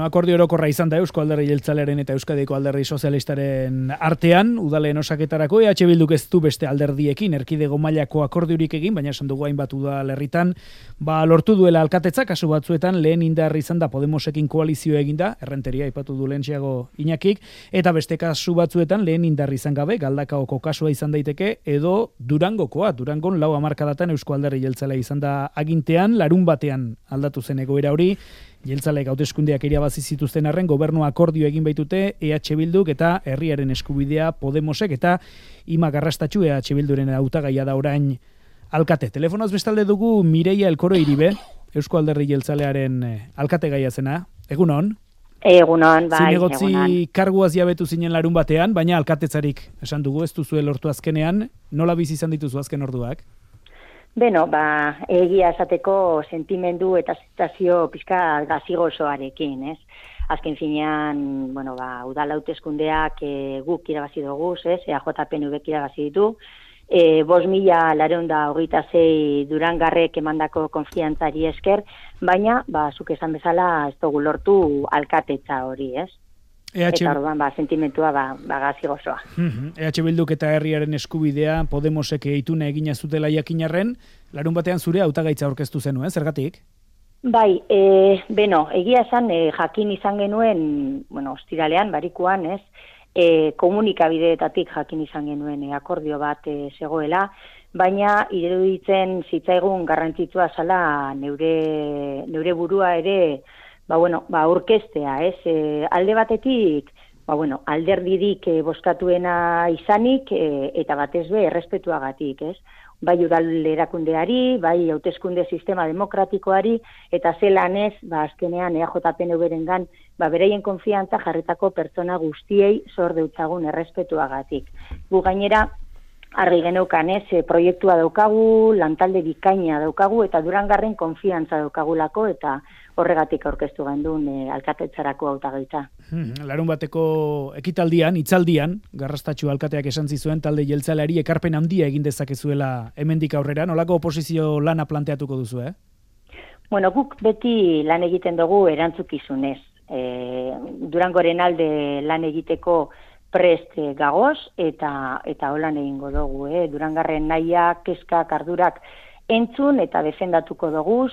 Akordio orokorra izan da Eusko Alderdi Jeltzalearen eta Euskadiko Alderdi Sozialistaren artean, udaleen osaketarako EH Bilduk ez du beste alderdiekin erkidego mailako akordiorik egin, baina esan dugu hainbat udalerritan lortu duela alkatetza, kasu batzuetan lehen indar izan da Podemosekin koalizio eginda, Errenteria aipatu du lehentxeago Iñakik, eta beste kasu batzuetan lehen indar izan gabe, Galdakaoko kasua izan daiteke, edo Durangokoa, Durangon 4 hamarkadatan Eusko Alderdi Jeltzalea izan da agintean, larun batean aldatu zen egoera hori, Jeltzaleek hauteskundeak irabazi zituzten arren gobernu akordio egin baitute EH Bilduk eta herriaren eskubidea Podemosek eta Ima Garrastatxu EH Bilduren hautagaia da orain alkate. Telefonoz bestalde dugu Mireia Elkoro Iribe, Eusko Alderdi Jeltzalearen alkategaia zena. Egunon? Egunon, bai. Zinegotzi karguaz jabetu zinen larun batean, baina alkatetzarik esan dugu, ez duzu lortu azkenean. Nola bizi izan dituzu azken orduak? Beno, egia esateko sentimendu eta zitazio pizka gazigozoarekin, ez? Azken finean, udal hauteskundeak guk irabazi dugu, ez? EAJ-PNVk irabazi ditu. 5.926 durangarrek emandako konfiantzari esker, baina, zuk esan bezala, ez dugu lortu alkatetza hori, ez? Eta orduan, sentimentua gazigozoa. EH Bilduk eta herriaren eskubidea Podemosek ituna egina zutela jakinarren, larun batean zure hautagaitza aurkeztu zenuen, zergatik? Bai, egia esan jakin izan genuen, ostiralean, barikuan, ez, komunikabideetatik jakin izan genuen akordio bat zegoela, baina iruditzen zitzaigun garrantzitsua zala neure burua ere aurkeztea, ez? Alde batetik, alderdirik bozkatuena izanik, eta batez be, errespetuagatik, ez? Bai udal erakundeari, bai hauteskunde sistema demokratikoari, eta zelan ez, azkenean EAJ-PNV-rengan, beraien konfiantza jarritako pertsona guztiei zor deutzagun errespetuagatik. Gu gainera, argi geneukan ez, proiektua daukagu, lantalde bikaina daukagu, eta Durangarren konfiantza daukagulako, eta horregatik aurkeztu gendun alkatetzarako hautagaitza. Larun bateko ekitaldian, hitzaldian, Garrastatxu alkateak esan zizuen talde jeltzaleari ekarpen handia egin dezakezuela hemendik aurrera, nolako oposizio lana planteatuko duzu, Guk beti lan egiten dugu erantzukizunez. Durangoren alde lan egiteko prest gagoz, eta holan egingo dugu, Durangarren nahiak, kezkak, ardurak entzun eta defendatuko doguz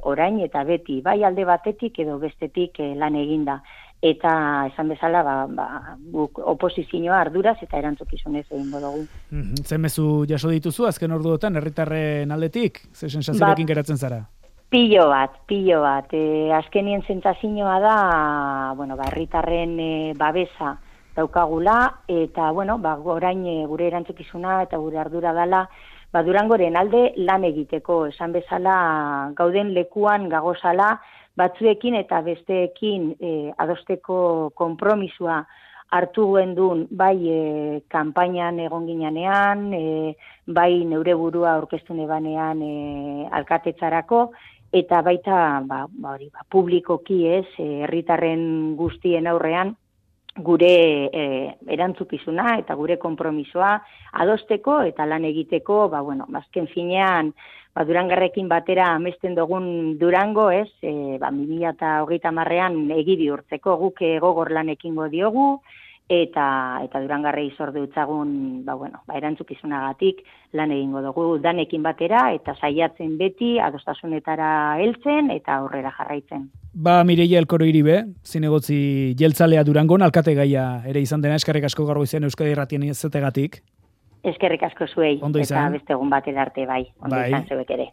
orain eta beti, bai alde batetik edo bestetik lan eginda. Eta esan bezala, guk oposizioa arduraz eta erantzukizunez egingo dugu. Zemezu jaso dituzu azken orduotan herritarren aldetik? Ze sensazioekin geratzen zara? Pilo bat. Azkenien sentsazioa da, herritarren babesa daukagula, eta, orain gure erantzukizuna eta gure ardura dela, Durangoren alde lan egiteko, esan bezala gauden lekuan gagozala, batzuekin eta besteekin adosteko konpromisua hartu gendun, bai kanpainan egon ginean, bai neure burua aurkeztu nebanean alkatetzarako, eta baita publikoki ez, herritarren guztien aurrean, gure erantzukizuna eta gure konpromisoa adosteko eta lan egiteko, azken finean, Durangarrekin batera amesten dugun Durango, ez, 2030ean egi bihurtzeko guk gogor lan ekingo diogu, eta Durangarrei zor deutzagun, erantzukizunagatik lan egingo dugu danekin batera, eta saiatzen beti adostasunetara heltzen eta aurrera jarraitzen. Mireia Elkoro Iribe, zinegotzi jeltzalea Durangon, alkategaia ere izan dena, eskerrik asko gaur goizean Euskadi Irratien izategatik. Eskerrik asko zuei, Ondo izan. Eta beste egun batera arte bai, ondo izan zeuek ere.